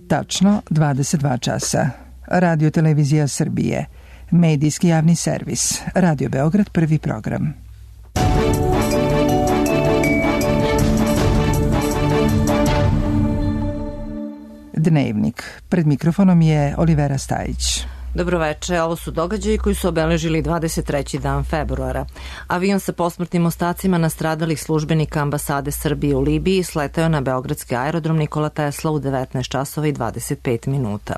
Tačno 22 časa. Radio Televizija Srbije. Medijski javni servis. Radio Beograd, prvi program. Dnevnik. Pred mikrofonom je Olivera Stajić. Dobroveče, ovo su događaji koji su obeležili 23. dan februara. Avion sa posmrtnim ostacima nastradalih službenika ambasade Srbije u Libiji sletao na beogradski aerodrom Nikola Tesla u 19 časova i 25 minuta.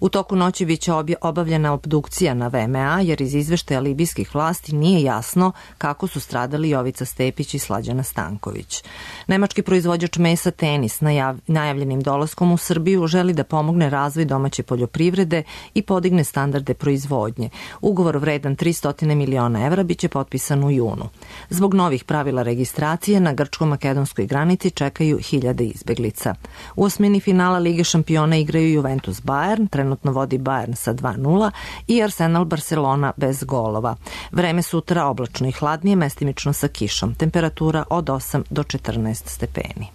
U toku noći biće obavljena obdukcija na VMA, jer iz izveštaja libijskih vlasti nije jasno kako su stradali Jovica Stepić i Slađana Stanković. Nemački proizvođač mesa Tenis najavljenim dolaskom u Srbiju želi da pomogne razvoj domaće poljoprivrede i podigne standarde proizvodnje. Ugovor vredan 300 miliona evra biće potpisan u junu. Zbog novih pravila registracije na grčko-makedonskoj granici čekaju hiljade izbeglica. U osmini finala Lige šampiona igraju Juventus Bayern, trenutno vodi Bayern sa 2:0 i Arsenal Barcelona bez golova. Vreme sutra oblačno i hladnije, mestimično sa kišom. Temperatura od 8 do 14 stepeni.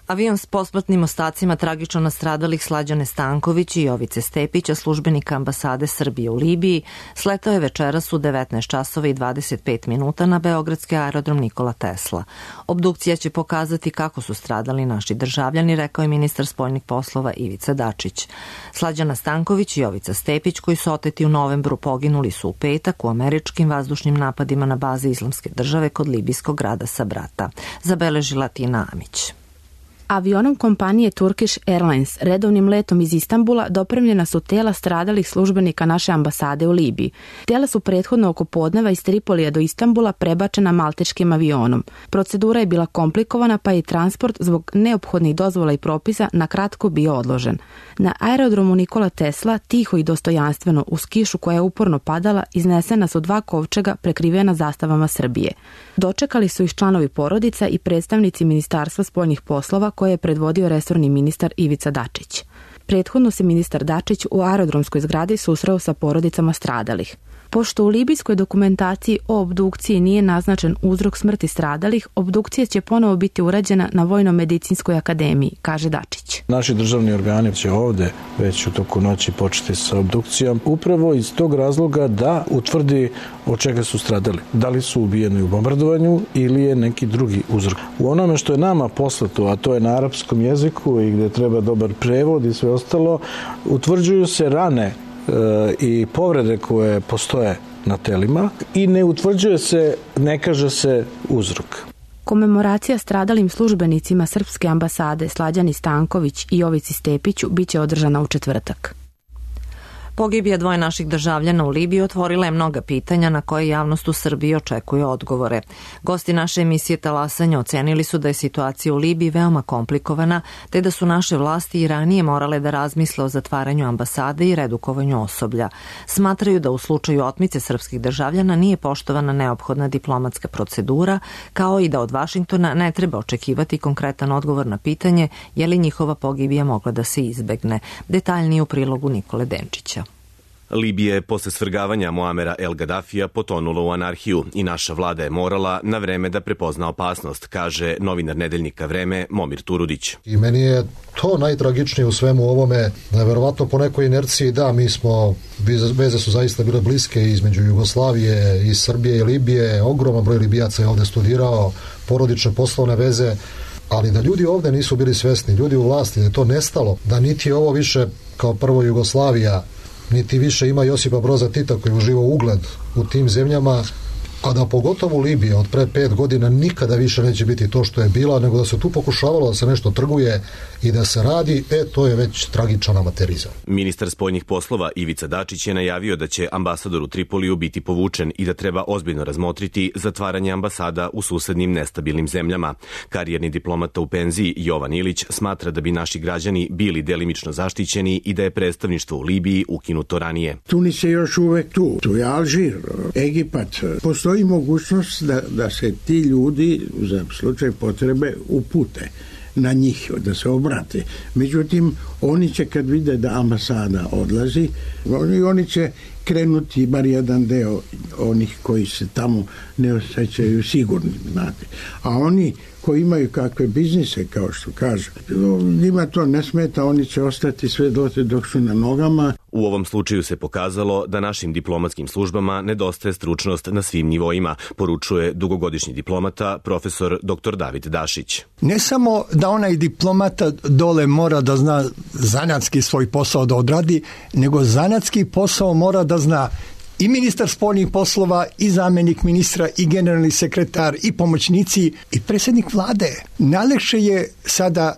Avion s posmrtnim ostacima tragično nastradalih Slađane Stanković i Jovice Stepića, službenika ambasade Srbije u Libiji, sletao je večeras u 19 časova i 25 minuta na beogradski aerodrom Nikola Tesla. Obdukcija će pokazati kako su stradali naši državljani, rekao je ministar spoljnih poslova Ivica Dačić. Slađana Stanković i Jovica Stepić, koji su oteti u novembru, poginuli su u petak u američkim vazdušnim napadima na baze Islamske države kod libijskog grada Sabrata, zabeležila Tina Amić. Avionom kompanije Turkish Airlines redovnim letom iz Istanbula dopremljena su tela stradalih službenika naše ambasade u Libiji. Tela su prethodno oko podneva iz Tripolija do Istanbula prebačena malteškim avionom. Procedura je bila komplikovana, pa je transport zbog neophodnih dozvola i propisa na kratko bio odložen. Na aerodromu Nikola Tesla, tiho i dostojanstveno, uz kišu koja je uporno padala, iznesena su 2 kovčega prekrivena zastavama Srbije. Dočekali su ih članovi porodica i predstavnici Ministarstva spoljnih poslova, koje je predvodio resorni ministar Ivica Dačić. Prethodno se ministar Dačić u aerodromskoj zgradi susreo sa porodicama stradalih. Pošto u libijskoj dokumentaciji o obdukciji nije naznačen uzrok smrti stradalih, obdukcija će ponovo biti urađena na Vojno-medicinskoj akademiji, kaže Dačić. Naši državni organi će ovde već u toku noći početi sa obdukcijom, upravo iz tog razloga da utvrdi od čega su stradali. Da li su ubijeni u bombardovanju ili je neki drugi uzrok. U onome što je nama poslato, a to je na arapskom jeziku i gde treba dobar prevod i sve ostalo, utvrđuju se rane i povrede koje postoje na telima i ne utvrđuje se, ne kaže se uzrok. Komemoracija stradalim službenicima srpske ambasade Slađani Stanković i Jovici Stepiću biće održana u četvrtak. Pogibija 2 naših državljana u Libiji otvorila je mnoga pitanja na koje javnost u Srbiji očekuje odgovore. Gosti naše emisije Talasanja ocenili su da je situacija u Libiji veoma komplikovana, te da su naše vlasti i ranije morale da razmisle o zatvaranju ambasade i redukovanju osoblja. Smatraju da u slučaju otmice srpskih državljana nije poštovana neophodna diplomatska procedura, kao i da od Vašingtona ne treba očekivati konkretan odgovor na pitanje je li njihova pogibija mogla da se izbegne. Detaljnije u prilogu Nikole Denčića. Libija je posle svrgavanja Muamera El Gaddafija potonula u anarhiju i naša vlada je morala na vreme da prepozna opasnost, kaže novinar nedeljnika Vreme Momir Turudić. I meni je to najtragičnije u svemu ovome, da je verovatno po nekoj inerciji mi smo, veze su zaista bile bliske između Jugoslavije i Srbije i Libije, ogroman broj Libijaca je ovde studirao, porodične poslovne veze, ali da ljudi ovde nisu bili svesni, ljudi u vlasti, da je to nestalo, da niti je ovo više kao prvo Jugoslavija, niti više ima Josipa Broza Tita koji uživa ugled u tim zemljama, a da pogotovo Libija od pre 5 godina nikada više neće biti to što je bila, nego da se tu pokušavalo da se nešto trguje i da se radi, to je već tragičan amaterizam. Ministar spoljnih poslova Ivica Dačić je najavio da će ambasador u Tripoliju biti povučen i da treba ozbiljno razmotriti zatvaranje ambasada u susednim nestabilnim zemljama. Karijerni diplomata u penziji Jovan Ilić smatra da bi naši građani bili delimično zaštićeni i da je predstavništvo u Libiji ukinuto ranije. Tunis je još uvek tu. Tu je Alžir, Egipat. Postoji mogućnost da se ti ljudi za slučaj potrebe upute. na njih da se obrate. Međutim, oni će kad vide da ambasada odlazi, oni će krenuti bar jedan deo onih koji se tamo ne osjećaju sigurni, znate. A oni koji imaju kakve biznise, kao što kažu, njima to ne smeta, oni će ostati sve dok su na nogama. U ovom slučaju se pokazalo da našim diplomatskim službama nedostaje stručnost na svim nivoima, poručuje dugogodišnji diplomata profesor dr. David Dašić. Ne samo da onaj diplomata dole mora da zna zanatski svoj posao da odradi, nego zanatski posao mora da zna i ministar spoljnih poslova, i zamjenik ministra, i generalni sekretar, i pomoćnici, i predsjednik vlade. Najlakše je sada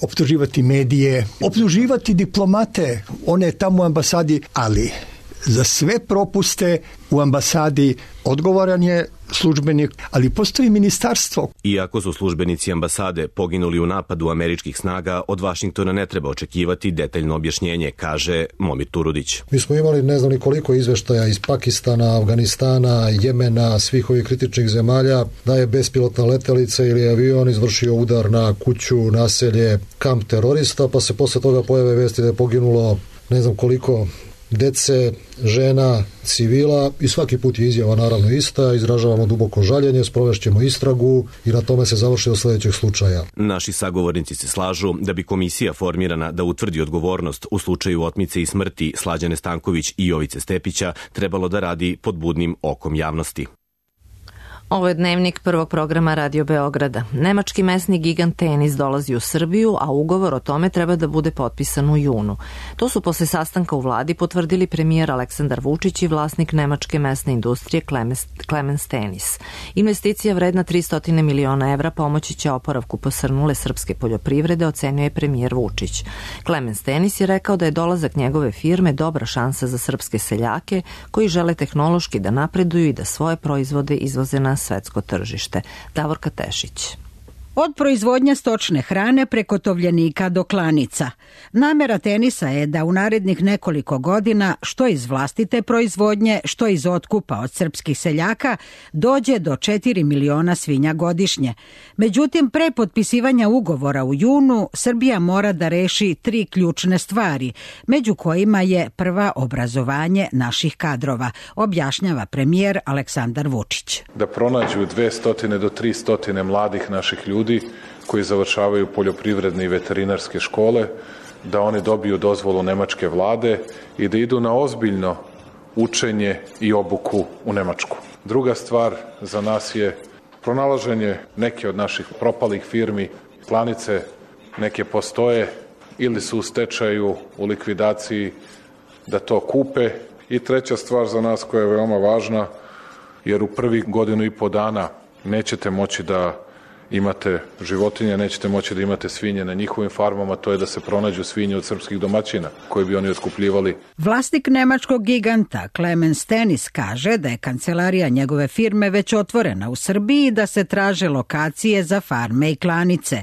optuživati medije, optuživati diplomate, one tamo u ambasadi, ali za sve propuste u ambasadi odgovoran je službenik, ali postoji ministarstvo. Iako su službenici ambasade poginuli u napadu američkih snaga, od Vašingtona ne treba očekivati detaljno objašnjenje, kaže Momir Turudić. Mi smo imali ne znam ni koliko izveštaja iz Pakistana, Afganistana, Jemena, svih ovih kritičnih zemalja, da je bespilotna letelica ili avion izvršio udar na kuću, naselje, kamp terorista, pa se posle toga pojave vesti da je poginulo ne znam koliko dece, žena, civila i svaki put je izjava naravno ista, izražavamo duboko žaljenje, sprovešćemo istragu i na tome se završi do sledećeg slučaja. Naši sagovornici se slažu da bi komisija formirana da utvrdi odgovornost u slučaju otmice i smrti Slađane Stanković i Jovice Stepića trebalo da radi pod budnim okom javnosti. Ovo je dnevnik prvog programa Radio Beograda. Nemački mesni gigant Tenis dolazi u Srbiju, a ugovor o tome treba da bude potpisan u junu. To su posle sastanka u vladi potvrdili premijer Aleksandar Vučić i vlasnik nemačke mesne industrije Clemens Tenis. Investicija vredna 300 miliona evra pomoći će oporavku posrnule srpske poljoprivrede, ocenio je premijer Vučić. Clemens Tenis je rekao da je dolazak njegove firme dobra šansa za srpske seljake koji žele tehnološki da napreduju i da svoje proizvode izvoze na svetsko tržište. Davorka Tešić. Od proizvodnje stočne hrane preko tovljenika do klanica. Namera Tenisa je da u narednih nekoliko godina, što iz vlastite proizvodnje, što iz otkupa od srpskih seljaka, dođe do 4 miliona svinja godišnje. Međutim, pre potpisivanja ugovora u junu, Srbija mora da reši 3 ključne stvari, među kojima je prva obrazovanje naših kadrova, objašnjava premijer Aleksandar Vučić. Da pronađu 200 do 300 mladih naših ljudi koji završavaju poljoprivredne i veterinarske škole, da oni dobiju dozvolu nemačke vlade i da idu na ozbiljno učenje i obuku u Nemačku. Druga stvar za nas je pronalaženje neke od naših propalih firmi, klanice neke postoje ili su u stečaju, u likvidaciji, da to kupe. I treća stvar za nas koja je veoma važna, jer u prvih 1.5 godina nećete moći da imate životinje, nećete moći da imate svinje na njihovim farmama, to je da se pronađu svinje od srpskih domaćina koje bi oni otkupljivali. Vlasnik nemačkog giganta Clemens Tenis kaže da je kancelarija njegove firme već otvorena u Srbiji i da se traže lokacije za farme i klanice.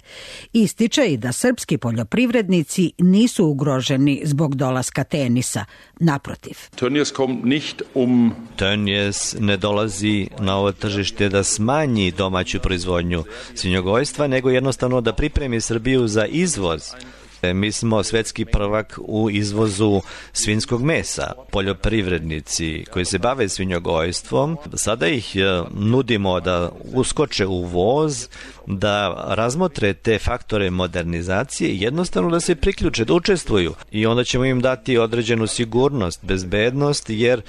Ističe i da srpski poljoprivrednici nisu ugroženi zbog dolaska Tenisa. Naprotiv. Tönnies ne dolazi na ovo tržište da smanji domaću proizvodnju svinjogojstva, nego jednostavno da pripremi Srbiju za izvoz. Mi smo svetski prvak u izvozu svinjskog mesa. Poljoprivrednici koji se bave svinjogojstvom, sada ih nudimo da uskoče u voz, da razmotre te faktore modernizacije i jednostavno da se priključe, da učestvuju. I onda ćemo im dati određenu sigurnost, bezbednost, jer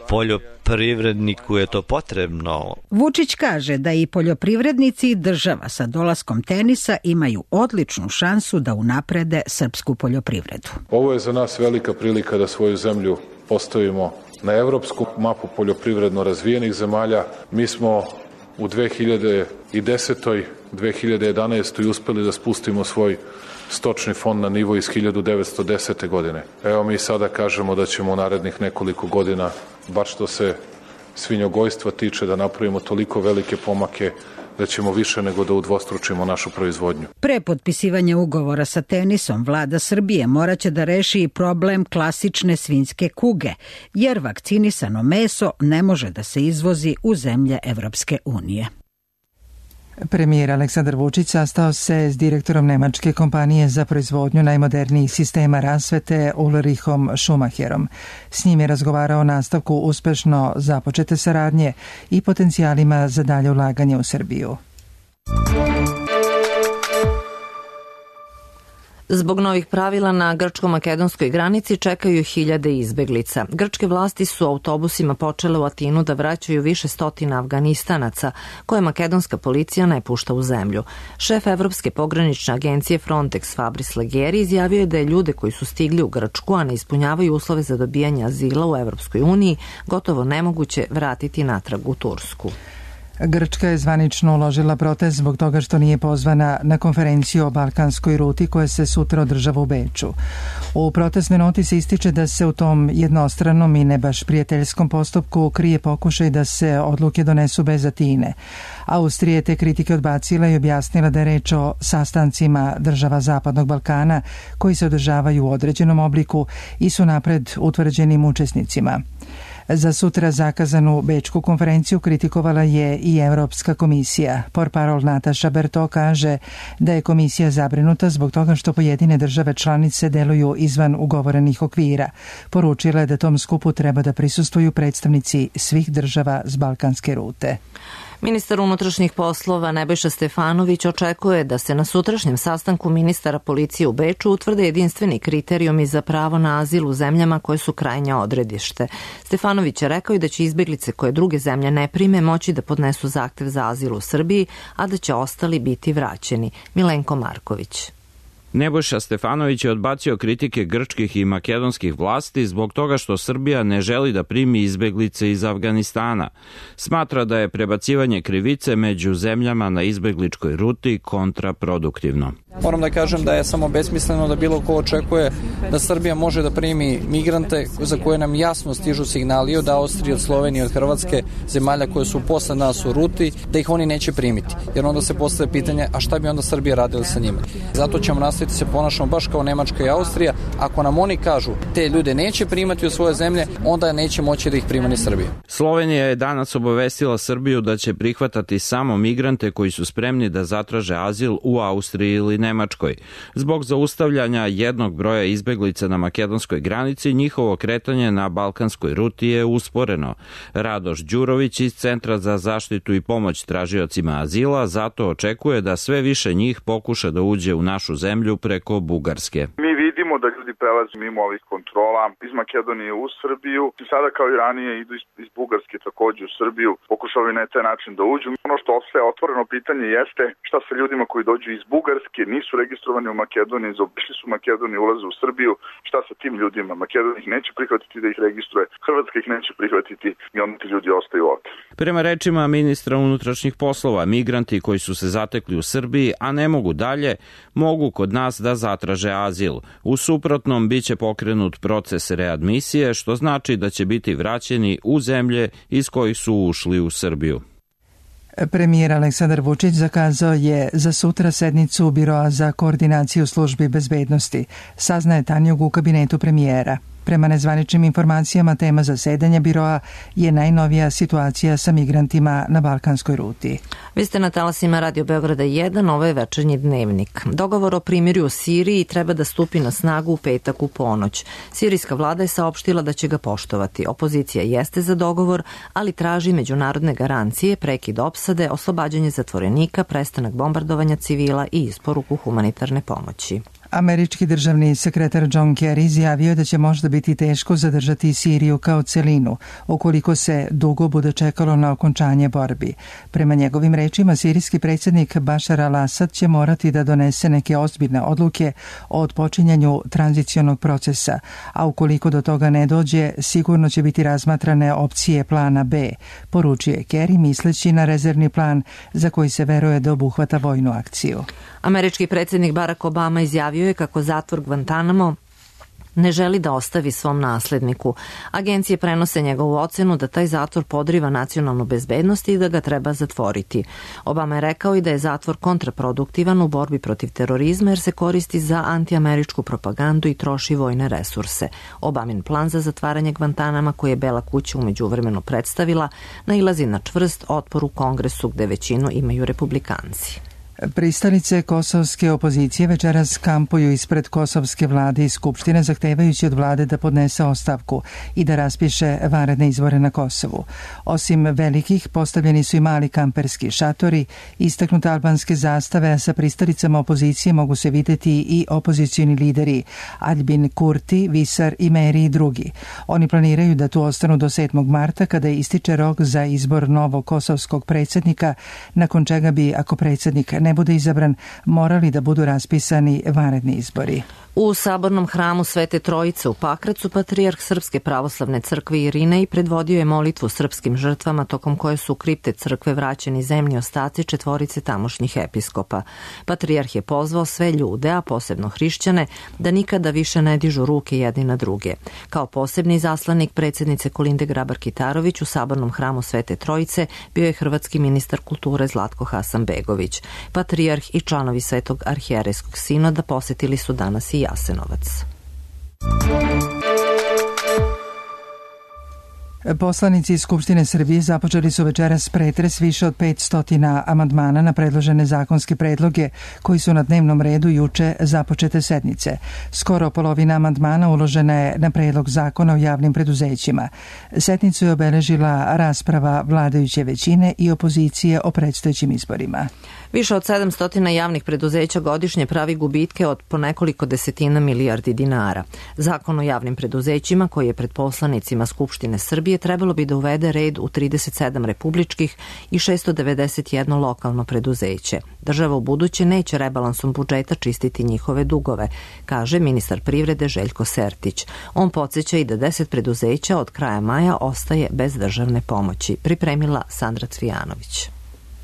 poljoprivredniku je to potrebno. Vučić kaže da i poljoprivrednici i država sa dolaskom Tenisa imaju odličnu šansu da unaprede srpsku poljoprivredu. Ovo je za nas velika prilika da svoju zemlju postavimo na evropsku mapu poljoprivredno razvijenih zemalja. Mi smo u 2010. 2011. uspeli da spustimo svoj stočni fond na nivo iz 1910. godine. Evo mi sada kažemo da ćemo u narednih nekoliko godina, bar što se svinjogojstva tiče, da napravimo toliko velike pomake da ćemo više nego da udvostručimo našu proizvodnju. Pre potpisivanja ugovora sa Tenisom, vlada Srbije moraće da reši i problem klasične svinjske kuge, jer vakcinisano meso ne može da se izvozi u zemlje Evropske unije. Premijer Aleksandar Vučić sastao se s direktorom nemačke kompanije za proizvodnju najmodernijih sistema rasvete Ulrichom Schumacherom. S njim je razgovarao o nastavku uspešno započete saradnje i potencijalima za dalje ulaganje u Srbiju. Zbog novih pravila na grčko-makedonskoj granici čekaju hiljade izbeglica. Grčke vlasti su autobusima počele u Atinu da vraćaju više stotina Afganistanaca, koje makedonska policija ne pušta u zemlju. Šef Evropske pogranične agencije Frontex Fabris Leggeri izjavio je da je ljude koji su stigli u Grčku, a ne ispunjavaju uslove za dobijanje azila u Evropskoj uniji, gotovo nemoguće vratiti natrag u Tursku. Grčka je zvanično uložila protest zbog toga što nije pozvana na konferenciju o balkanskoj ruti koja se sutra održava u Beču. U protestnoj noti se ističe da se u tom jednostranom i ne baš prijateljskom postupku krije pokušaj da se odluke donesu bez Atine. Austrija je te kritike odbacila i objasnila da je reč o sastancima država Zapadnog Balkana koji se održavaju u određenom obliku i su napred utvrđenim učesnicima. Za sutra zakazanu Bečku konferenciju kritikovala je i Evropska komisija. Portparol Nataša Berto kaže da je komisija zabrinuta zbog toga što pojedine države članice deluju izvan ugovorenih okvira. Poručila je da tom skupu treba da prisustvuju predstavnici svih država s balkanske rute. Ministar unutrašnjih poslova Nebojša Stefanović očekuje da se na sutrašnjem sastanku ministara policije u Beču utvrde jedinstveni kriterijumi za pravo na azil u zemljama koje su krajnje odredište. Stefanović je rekao i da će izbeglice koje druge zemlje ne prime moći da podnesu zahtev za azil u Srbiji, a da će ostali biti vraćeni. Milenko Marković. Nebojša Stefanović je odbacio kritike grčkih i makedonskih vlasti zbog toga što Srbija ne želi da primi izbeglice iz Afganistana. Smatra da je prebacivanje krivice među zemljama na izbegličkoj ruti kontraproduktivno. Moram da kažem da je samo besmisleno da bilo ko očekuje da Srbija može da primi migrante za koje nam jasno stižu signali od Austrije, od Slovenije, od Hrvatske, zemalja koje su posle nas u ruti, da ih oni neće primiti. Jer onda se postavlja pitanje, a šta bi onda Srbija radila sa njima? Zato ćemo nastaviti se ponašamo baš kao Nemačka i Austrija. Ako nam oni kažu te ljude neće primati u svoje zemlje, onda neće moći da ih prima ni Srbija. Slovenija je danas obavestila Srbiju da će prihvatati samo migrante koji su spremni da zatraže azil u Austriji ili Nemačkoj. Zbog zaustavljanja jednog broja izbeglica na makedonskoj granici, njihovo kretanje na balkanskoj ruti je usporeno. Radoš Đurović iz Centra za zaštitu i pomoć tražiocima azila zato očekuje da sve više njih pokuša da uđe u našu zemlju preko Bugarske. Mi vidimo da ljudi prelaze mimo ovih kontrola iz Makedonije u Srbiju i sada kao i ranije idu iz Bugarske takođe u Srbiju, pokušavaju na taj način da uđu. Ono što ostaje otvoreno pitanje jeste šta sa ljudima koji dođu iz Bugarske, nisu registrovani u Makedoniji, zaobišli su Makedoniju, ulaze u Srbiju, šta sa tim ljudima? Makedonija ih neće prihvatiti da ih registruje, Hrvatska ih neće prihvatiti i onda ti ljudi ostaju ovde. Prema rečima ministra unutrašnjih poslova, migranti koji su se zatekli u Srbiji, a ne mogu dalje, mogu kod nas da zatraže azil. U suprotnom biće pokrenut proces readmisije, što znači da će biti vraćeni u zemlje iz kojih su ušli u Srbiju. Premijer Aleksandar Vučić zakazao je za sutra sednicu Biroa za koordinaciju službi bezbednosti, saznaje Tanjug u kabinetu premijera. Prema nezvaničnim informacijama, tema zasedanja biroa je najnovija situacija sa migrantima na balkanskoj ruti. Vi ste na talasima Radio Beograda 1, ovo je večernji dnevnik. Dogovor o primirju u Siriji treba da stupi na snagu u petak u ponoć. Sirijska vlada je saopštila da će ga poštovati. Opozicija jeste za dogovor, ali traži međunarodne garancije, prekid opsade, oslobađanje zatvorenika, prestanak bombardovanja civila i isporuku humanitarne pomoći. Američki državni sekretar John Kerry izjavio da će možda biti teško zadržati Siriju kao celinu, ukoliko se dugo bude čekalo na okončanje borbi. Prema njegovim rečima, sirijski predsjednik Bashar al-Assad će morati da donese neke ozbiljne odluke o odpočinjanju tranzicionog procesa, a ukoliko do toga ne dođe, sigurno će biti razmatrane opcije plana B, poručio je Kerry misleći na rezervni plan za koji se veruje da obuhvata vojnu akciju. Američki predsjednik Barack Obama izjavio je kako zatvor Guantanamo ne želi da ostavi svom nasledniku. Agencije prenose njegovu ocenu da taj zatvor podriva nacionalnu bezbednost i da ga treba zatvoriti. Obama je rekao i da je zatvor kontraproduktivan u borbi protiv terorizma jer se koristi za antiameričku propagandu i troši vojne resurse. Obamin plan za zatvaranje Gvantanama, koji je Bela kuća u međuvremenu predstavila, nailazi na čvrst otpor u Kongresu gde većinu imaju republikanci. Pristalice kosovske opozicije večeras kampuju ispred kosovske vlade i skupštine zahtevajući od vlade da podnese ostavku i da raspiše vanredne izbore na Kosovu. Osim velikih, postavljeni su i mali kamperski šatori, istaknute albanske zastave, a sa pristalicama opozicije mogu se videti i opozicioni lideri Aljbin Kurti, Visar i Meri i drugi. Oni planiraju da tu ostanu do 7. marta kada ističe rok za izbor novog kosovskog predsjednika, nakon čega bi, ako predsjednik ne bude izabran, morali da budu raspisani vanredni izbori. U sabornom hramu Svete Trojice u Pakracu patrijarh Srpske pravoslavne crkve Irinej predvodio je molitvu srpskim žrtvama tokom koje su u kripte crkve vraćeni zemlji ostaci 4 tamošnjih episkopa. Patrijarh je pozvao sve ljude, a posebno hrišćane, da nikada više ne dižu ruke jedni na druge. Kao posebni zaslanik predsjednice Kolinde Grabar-Kitarović u sabornom hramu Svete Trojice bio je hrvatski ministar kulture Zlatko Hasanbegović. Patrijarh i članovi Svetog arhijerejskog sinoda posetili su danas i Jasenovac. Poslanici iz Skupštine Srbije započeli su večeras pretres više od 500 amandmana na predložene zakonske predloge koji su na dnevnom redu juče započete sednice. Skoro polovina amandmana uložena je na predlog zakona o javnim preduzećima. Sednicu je obeležila rasprava vladajuće većine i opozicije o predstojećim izborima. Više od 700 javnih preduzeća godišnje pravi gubitke od po nekoliko desetina milijardi dinara. Zakon o javnim preduzećima, koji je pred poslanicima Skupštine Srbije, trebalo bi da uvede red u 37 republičkih i 691 lokalno preduzeće. Država u buduće neće rebalansom budžeta čistiti njihove dugove, kaže ministar privrede Željko Sertić. On podsjeća i da 10 preduzeća od kraja maja ostaje bez državne pomoći. Pripremila Sandra Cvijanović.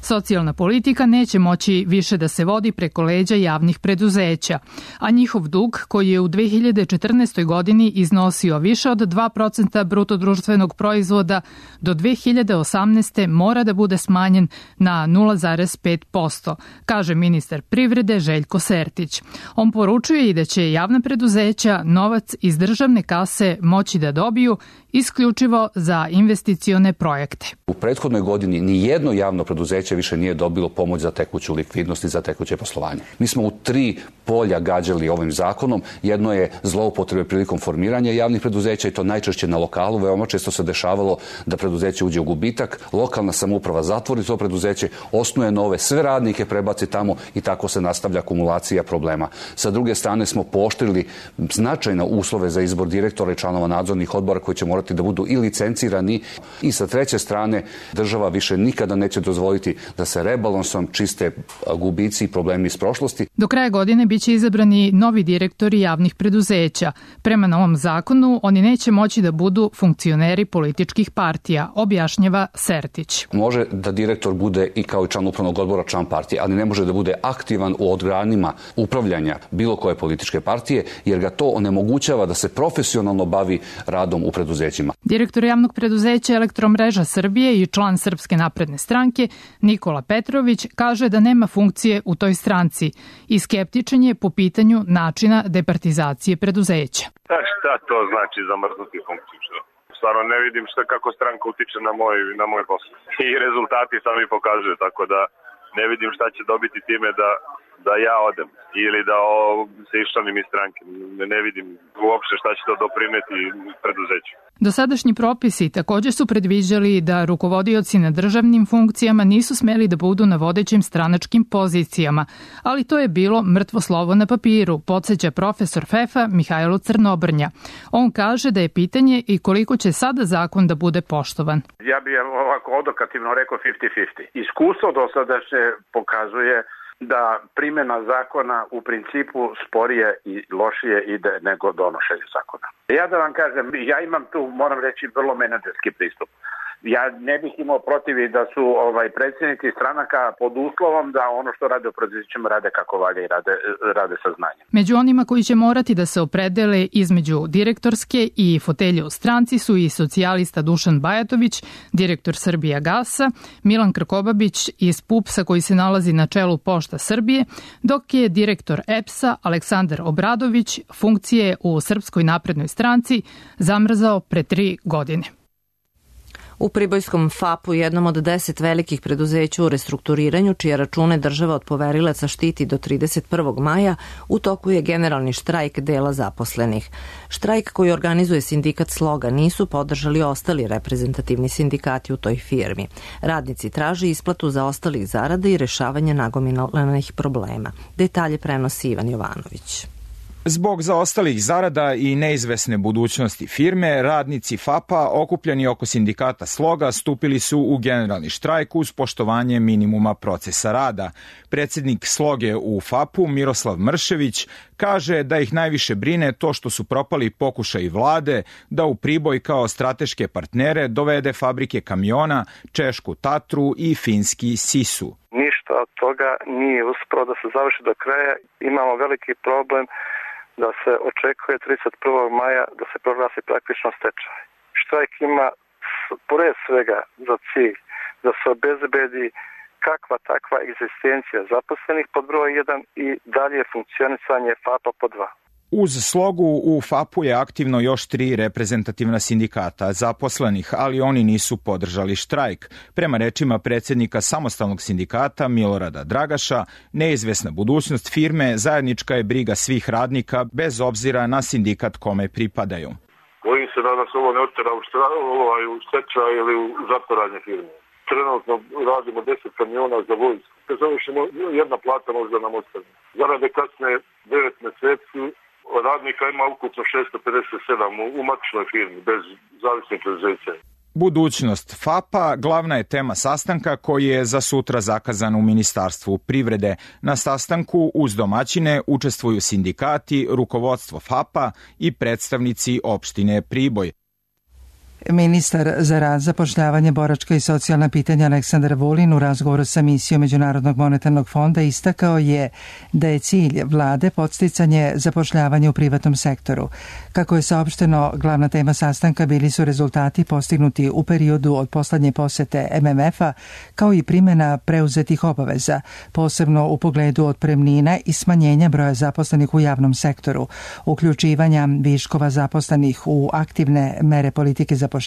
Socijalna politika neće moći više da se vodi preko leđa javnih preduzeća, a njihov dug, koji je u 2014. godini iznosio više od 2% brutodruštvenog proizvoda, do 2018. mora da bude smanjen na 0,5%, kaže ministar privrede Željko Sertić. On poručuje i da će javna preduzeća novac iz državne kase moći da dobiju isključivo za investicione projekte. U prethodnoj godini ni jedno javno preduzeće više nije dobilo pomoć za tekuću likvidnost i za tekuće poslovanje. Mi smo u 3 polja gađali ovim zakonom. Jedno je zloupotrebe prilikom formiranja javnih preduzeća i to najčešće na lokalu. Veoma često se dešavalo da preduzeće uđe u gubitak, lokalna samouprava zatvori to preduzeće, osnuje nove, sve radnike prebaci tamo i tako se nastavlja akumulacija problema. Sa druge strane smo pooštrili značajne uslove za izbor direktora i članova nadzornih odbora koji će morati da budu i licencirani. I sa treće strane država više nikada neće dozvoliti da se rebalansom čiste gubici i problemi iz prošlosti. Do kraja godine biće izabrani novi direktori javnih preduzeća. Prema novom zakonu oni neće moći da budu funkcioneri političkih partija, objašnjava Sertić. Može da direktor bude i kao i član upravnog odbora član partije, ali ne može da bude aktivan u organima upravljanja bilo koje političke partije, jer ga to onemogućava da se profesionalno bavi radom u preduzećima. Direktor javnog preduzeća Elektromreža Srbije i član Srpske napredne stranke Nikola Petrović kaže da nema funkcije u toj stranci i skeptičan je po pitanju načina departizacije preduzeća. Šta to znači zamrznuti funkciju? Stvarno ne vidim kako stranka utiče na moj posao. I rezultati sami pokazuju, tako da ne vidim šta će dobiti time da ja odem ili da se iščlanim iz stranke. Ne vidim uopšte šta će to doprineti preduzeću. Dosadašnji propisi također su predviđali da rukovodioci na državnim funkcijama nisu smeli da budu na vodećim stranačkim pozicijama, ali to je bilo mrtvo slovo na papiru, podsjeća profesor FEFA Mihajlo Crnobrnja. On kaže da je pitanje i koliko će sada zakon da bude poštovan. Ja bih ovako odokativno rekao 50-50. Iskustvo dosadašnje pokazuje da primjena zakona u principu sporije i lošije ide nego donošenje zakona. Ja da vam kažem, ja imam tu, moram reći, vrlo menadžerski pristup. Ja ne bih imao protiv da su predsjednici stranaka pod uslovom da ono što rade u preduzećima rade kako valja i rade sa znanjem. Među onima koji će morati da se opredele između direktorske i fotelje u stranci su i socijalista Dušan Bajatović, direktor Srbijagasa, Milan Krkobabić iz PUPS-a koji se nalazi na čelu Pošta Srbije, dok je direktor EPS-a Aleksandar Obradović funkcije u Srpskoj naprednoj stranci zamrzao pre 3 godine. U Pribojskom FAP-u, jednom od 10 velikih preduzeća u restrukturiranju, čije račune država od poverilaca štiti do 31. maja, u toku je generalni štrajk dela zaposlenih. Štrajk koji organizuje sindikat Sloga nisu podržali ostali reprezentativni sindikati u toj firmi. Radnici traže isplatu zaostalih zarada i rešavanje nagomilanih problema. Detalje prenosi Ivan Jovanović. Zbog zaostalih zarada i neizvesne budućnosti firme, radnici FAP-a okupljeni oko sindikata Sloga stupili su u generalni štrajk uz poštovanje minimuma procesa rada. Predsjednik Sloge u FAP-u, Miroslav Mršević, kaže da ih najviše brine to što su propali pokušaji vlade da u Priboj kao strateške partnere dovede fabrike kamiona, češku Tatru i finski Sisu. Ništa od toga nije uspelo da se završi do kraja. Imamo veliki problem da se očekuje 31. maja da se proglasi praktično stečaj. Štrajk ima pored svega za cilj da se obezbedi kakva takva egzistencija zaposlenih pod broj 1 i dalje funkcionisanje FAP-a pod 2. Uz Slogu u FAP-u je aktivno još 3 reprezentativna sindikata zaposlenih, ali oni nisu podržali štrajk. Prema rečima predsjednika samostalnog sindikata Milorada Dragaša, neizvesna budućnost firme zajednička je briga svih radnika bez obzira na sindikat kome pripadaju. Bojim se da nas ovo ne otera u stečaj ili u zatvaranje firme. Trenutno radimo 10 kamiona za vojsku. Kad završimo, jedna plata možda nam ostane. Zarade kasne 9 mjeseci, radnika ima ukupno 657 u matičnoj firmi, bez zavisnih preduzeća. Budućnost FAP-a glavna je tema sastanka koji je za sutra zakazan u Ministarstvu privrede. Na sastanku uz domaćine učestvuju sindikati, rukovodstvo FAP-a i predstavnici opštine Priboj. Ministar za rad, zapošljavanje, boračka i socijalna pitanja Aleksandar Vulin u razgovoru sa misijom Međunarodnog monetarnog fonda istakao je da je cilj vlade podsticanje zapošljavanja u privatnom sektoru. Kako je saopšteno, glavna tema sastanka bili su rezultati postignuti u periodu od poslednje posete MMF-a, kao i primjena preuzetih obaveza, posebno u pogledu otpremnina i smanjenja broja zaposlenih u javnom sektoru, uključivanja viškova zaposlenih u aktivne mere politike zapošljavanja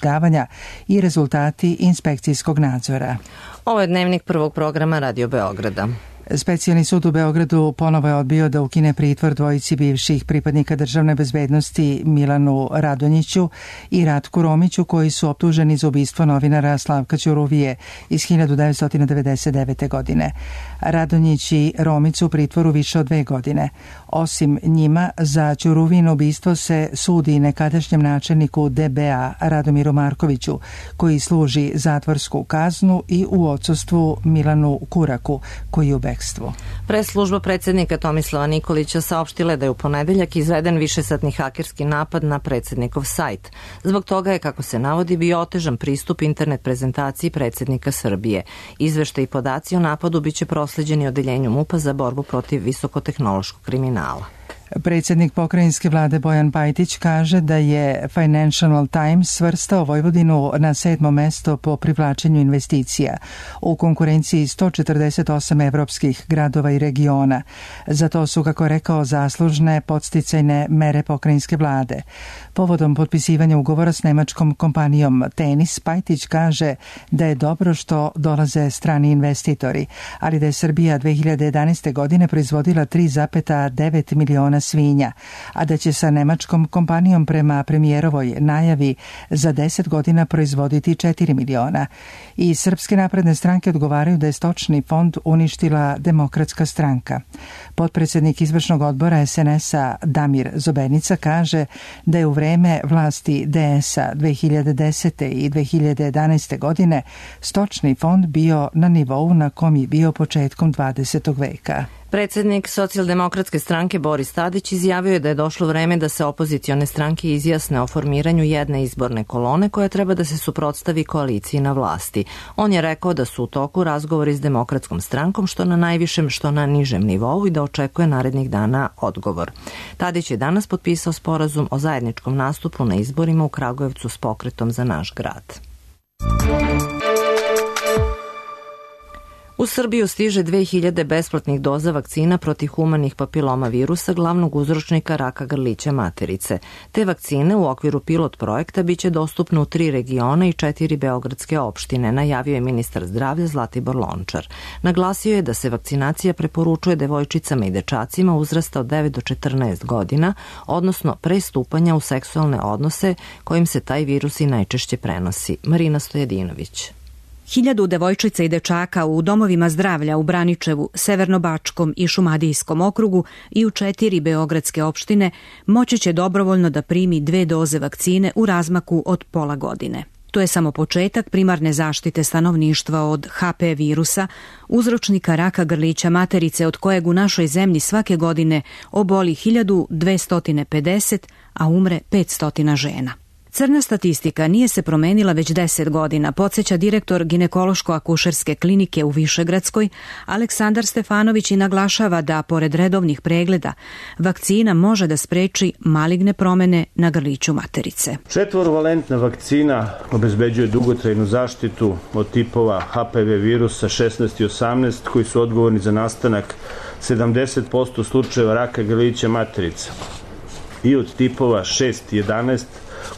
i rezultati inspekcijskog nadzora. Ovo je dnevnik prvog programa Radio Beograda. Specijalni sud u Beogradu ponovo je odbio da ukine pritvor dvojici bivših pripadnika državne bezbednosti Milanu Radonjiću i Ratku Romiću, koji su optuženi za ubistvo novinara Slavka Ćuruvije iz 1999. godine. Radonjić i Romić su u pritvoru više od 2 godine. Osim njima, za Ćuruvino ubistvo se sudi nekadašnjem načelniku DBA Radomiru Markoviću, koji služi zatvorsku kaznu, i u odsustvu Milanu Kuraku, koji je u bekstvu. Pres-služba predsjednika Tomislava Nikolića saopštila da je u ponedeljak izveden višesatni hakerski napad na predsjednikov sajt. Zbog toga je, kako se navodi, bio otežan pristup internet prezentaciji predsjednika Srbije. Izveštaj i podaci o napadu biće prosleđeni odeljenju MUP-a za borbu protiv visokotehnološkog kriminala. Predsjednik pokrajinske vlade Bojan Pajtić kaže da je Financial Times svrstao Vojvodinu na 7. mesto po privlačenju investicija u konkurenciji 148 evropskih gradova i regiona. Za to su, kako je rekao, zaslužne podsticajne mere pokrajinske vlade. Povodom potpisivanja ugovora s nemačkom kompanijom Tenis, Pajtić kaže da je dobro što dolaze strani investitori, ali da je Srbija 2011. godine proizvodila 3,9 miliona svinja, a da će sa nemačkom kompanijom prema premijerovoj najavi za 10 godina proizvoditi 4 miliona. I Srpske napredne stranke odgovaraju da je stočni fond uništila Demokratska stranka. Potpredsjednik izvršnog odbora SNS-a Damir Zobenica kaže da je u vreme vlasti DS-a 2010. i 2011. godine stočni fond bio na nivou na kom je bio početkom 20. veka. Predsednik Socijaldemokratske stranke Boris Tadić izjavio je da je došlo vreme da se opozicione stranke izjasne o formiranju jedne izborne kolone koja treba da se suprotstavi koaliciji na vlasti. On je rekao da su u toku razgovori s Demokratskom strankom što na najvišem, što na nižem nivou i da očekuje narednih dana odgovor. Tadić je danas potpisao sporazum o zajedničkom nastupu na izborima u Kragujevcu s Pokretom za naš grad. U Srbiju stiže 2000 besplatnih doza vakcina protiv humanih papiloma virusa, glavnog uzročnika raka grlića materice. Te vakcine u okviru pilot projekta biće dostupne u 3 regiona i 4 beogradske opštine, najavio je ministar zdravlja Zlatibor Lončar. Naglasio je da se vakcinacija preporučuje devojčicama i dečacima uzrasta od 9 do 14 godina, odnosno pre stupanja u seksualne odnose kojim se taj virus i najčešće prenosi. Marina Stojadinović. 1000 devojčica i dečaka u domovima zdravlja u Braničevu, Severnobačkom i Šumadijskom okrugu i u 4 beogradske opštine moći će dobrovoljno da primi 2 doze vakcine u razmaku od pola godine. To je samo početak primarne zaštite stanovništva od HP virusa, uzročnika raka grlića materice od kojeg u našoj zemlji svake godine oboli 1250, a umre 500 žena. Crna statistika nije se promenila već 10 godina, podsjeća direktor ginekološko-akušerske klinike u Višegradskoj, Aleksandar Stefanović, i naglašava da, pored redovnih pregleda, vakcina može da spreči maligne promene na grliću materice. 4-valentna vakcina obezbeđuje dugotrajnu zaštitu od tipova HPV virusa 16 i 18 koji su odgovorni za nastanak 70% slučajeva raka grlića materice i od tipova 6 i 11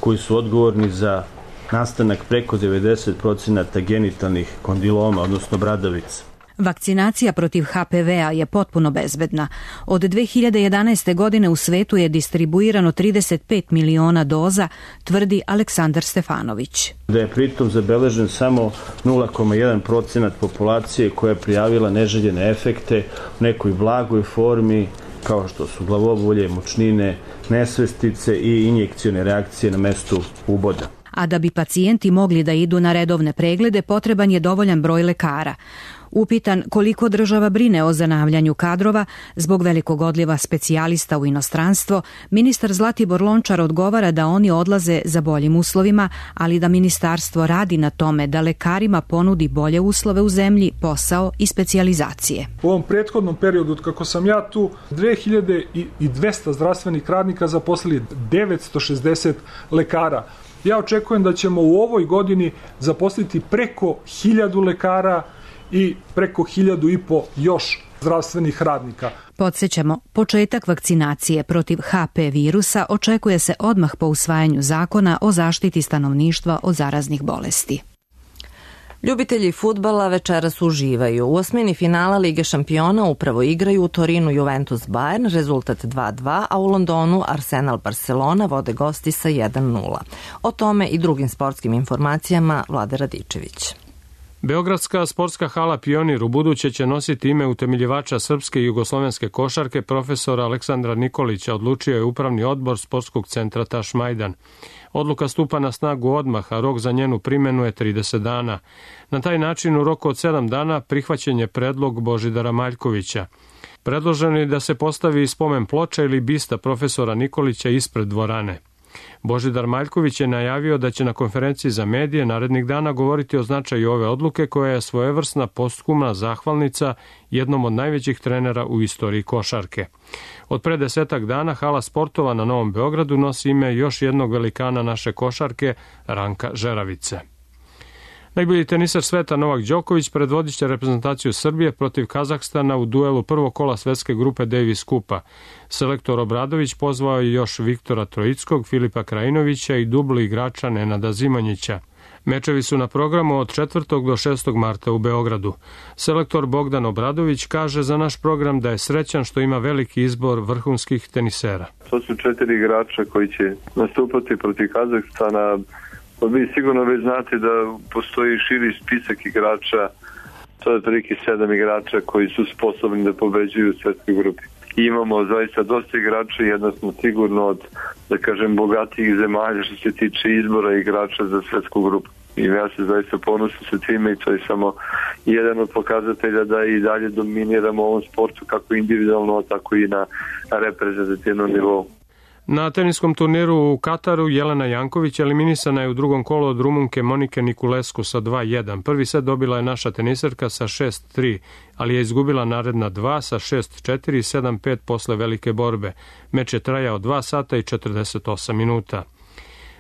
koji su odgovorni za nastanak preko 90% genitalnih kondiloma, odnosno bradavica. Vakcinacija protiv HPV-a je potpuno bezbedna. Od 2011. godine u svetu je distribuirano 35 miliona doza, tvrdi Aleksandar Stefanović. Da je pritom zabeležen samo 0,1% populacije koja je prijavila neželjene efekte u nekoj blagoj formi, kao što su glavobolje, mučnine, nesvestice i injekcione reakcije na mestu uboda. A da bi pacijenti mogli da idu na redovne preglede, potreban je dovoljan broj lekara. Upitan koliko država brine o zanavljanju kadrova zbog velikog odliva specijalista u inostranstvo, ministar Zlatibor Lončar odgovara da oni odlaze za boljim uslovima, ali da ministarstvo radi na tome da lekarima ponudi bolje uslove u zemlji, posao i specijalizacije. U ovom prethodnom periodu, kako sam ja tu, 2200 zdravstvenih radnika zaposlili 960 lekara. Ja očekujem da ćemo u ovoj godini zaposliti preko 1000 lekara i preko 1500 još zdravstvenih radnika. Podsjećamo, početak vakcinacije protiv HP virusa očekuje se odmah po usvajanju zakona o zaštiti stanovništva od zaraznih bolesti. Ljubitelji fudbala večeras uživaju. U osmini finala Lige šampiona upravo igraju u Torinu Juventus Bayern, rezultat 2-2, a u Londonu Arsenal Barcelona vode gosti sa 1-0. O tome i drugim sportskim informacijama Vlade Radičević. Beogradska sportska hala Pionir ubuduće će nositi ime utemeljivača srpske i jugoslovenske košarke profesora Aleksandra Nikolića, odlučio je upravni odbor sportskog centra Tašmajdan. Odluka stupa na snagu odmah, a rok za njenu primjenu je 30 dana. Na taj način u roku od 7 dana prihvaćen je predlog Božidara Maljkovića. Predloženo je da se postavi spomen ploča ili bista profesora Nikolića ispred dvorane. Božidar Maljković je najavio da će na konferenciji za medije narednih dana govoriti o značaju ove odluke koja je svojevrsna posthumna zahvalnica jednom od najvećih trenera u istoriji košarke. Od pre 10 dana hala sportova na Novom Beogradu nosi ime još jednog velikana naše košarke, Ranka Žeravice. Najbolji tenisar sveta Novak Đoković predvodit će reprezentaciju Srbije protiv Kazahstana u duelu prvog kola svetske grupe Davis Kupa. Selektor Obradović pozvao je još Viktora Trojickog, Filipa Krajinovića i dublu igrača Nenada Zimanjića. Mečevi su na programu od 4. do 6. marta u Beogradu. Selektor Bogdan Obradović kaže za naš program da je srećan što ima veliki izbor vrhunskih tenisera. To su 4 igrača koji će nastupati protiv Kazahstana. Vi sigurno već znate da postoji širi spisak igrača, to je otprilike 7 igrača koji su sposobni da pobeđuju u svetskoj grupi. I imamo zaista dosta igrača, jedno smo sigurno od, da kažem, bogatijih zemalja što se tiče izbora igrača za svetsku grupu. I ja se zaista ponosim sa time i to je samo jedan od pokazatelja da i dalje dominiramo u ovom sportu kako individualno, tako i na reprezentativnom nivou. Na teniskom turniru u Kataru Jelena Janković eliminisana je u drugom kolu od Rumunke Monike Niculescu sa 2-1. Prvi set dobila je naša teniserka sa 6-3, ali je izgubila naredna 2 sa 6-4 i 7-5 posle velike borbe. Meč je trajao 2 sata i 48 minuta.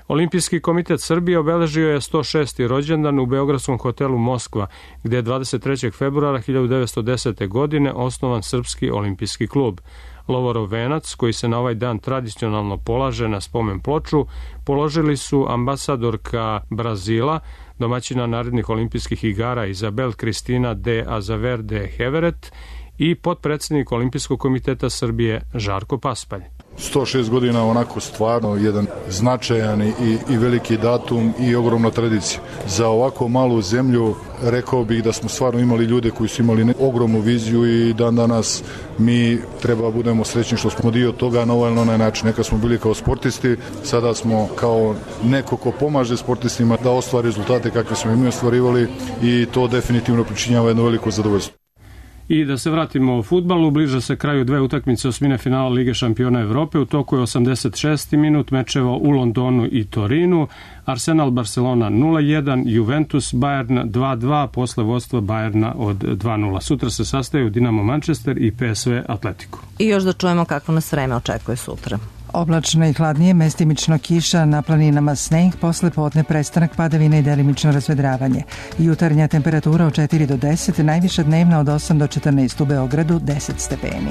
Olimpijski komitet Srbije obeležio je 106. rođendan u beogradskom hotelu Moskva, gde je 23. februara 1910. godine osnovan Srpski olimpijski klub. Lovorov venac, koji se na ovaj dan tradicionalno polaže na spomen ploču, položili su ambasadorka Brazila, domaćina narednih olimpijskih igara Izabel Kristina de Azaverde Heveret i potpredsednik Olimpijskog komiteta Srbije Žarko Paspalj. 106 godina onako stvarno jedan značajan i veliki datum i ogromna tradicija. Za ovako malu zemlju rekao bih da smo stvarno imali ljude koji su imali ogromnu viziju i dan danas mi treba budemo srećni što smo dio toga na ovaj ili onaj način. Neka smo bili kao sportisti, sada smo kao neko ko pomaže sportistima da ostvari rezultate kakve smo i mi ostvarivali i to definitivno pričinjava jedno veliko zadovoljstvo. I da se vratimo u fudbalu, bliža se kraju dve utakmice osmine finala Lige šampiona Evrope. U toku je 86. minut mečeva u Londonu i Torinu. Arsenal Barcelona 0-1, Juventus Bayern 2-2 posle vodstva Bayerna od 2-0. Sutra se sastaju Dinamo Manchester i PSV Atletico. I još da čujemo kako nas vreme očekuje sutra. Oblačno i hladnije, mestimično kiša, na planinama sneg, posle podne prestanak padavina i delimično razvedravanje. Jutarnja temperatura od 4 do 10, najviša dnevna od 8 do 14 u Beogradu, 10 stepeni.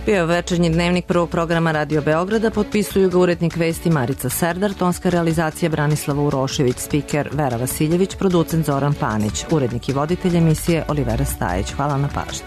Bio je večernji dnevnik prvog programa Radio Beograda, potpisuju ga urednik vesti Marica Serdar, tonska realizacija Branislava Urošević, spiker Vera Vasiljević, producent Zoran Panić, urednik i voditelj emisije Olivera Stajić. Hvala na pažnji.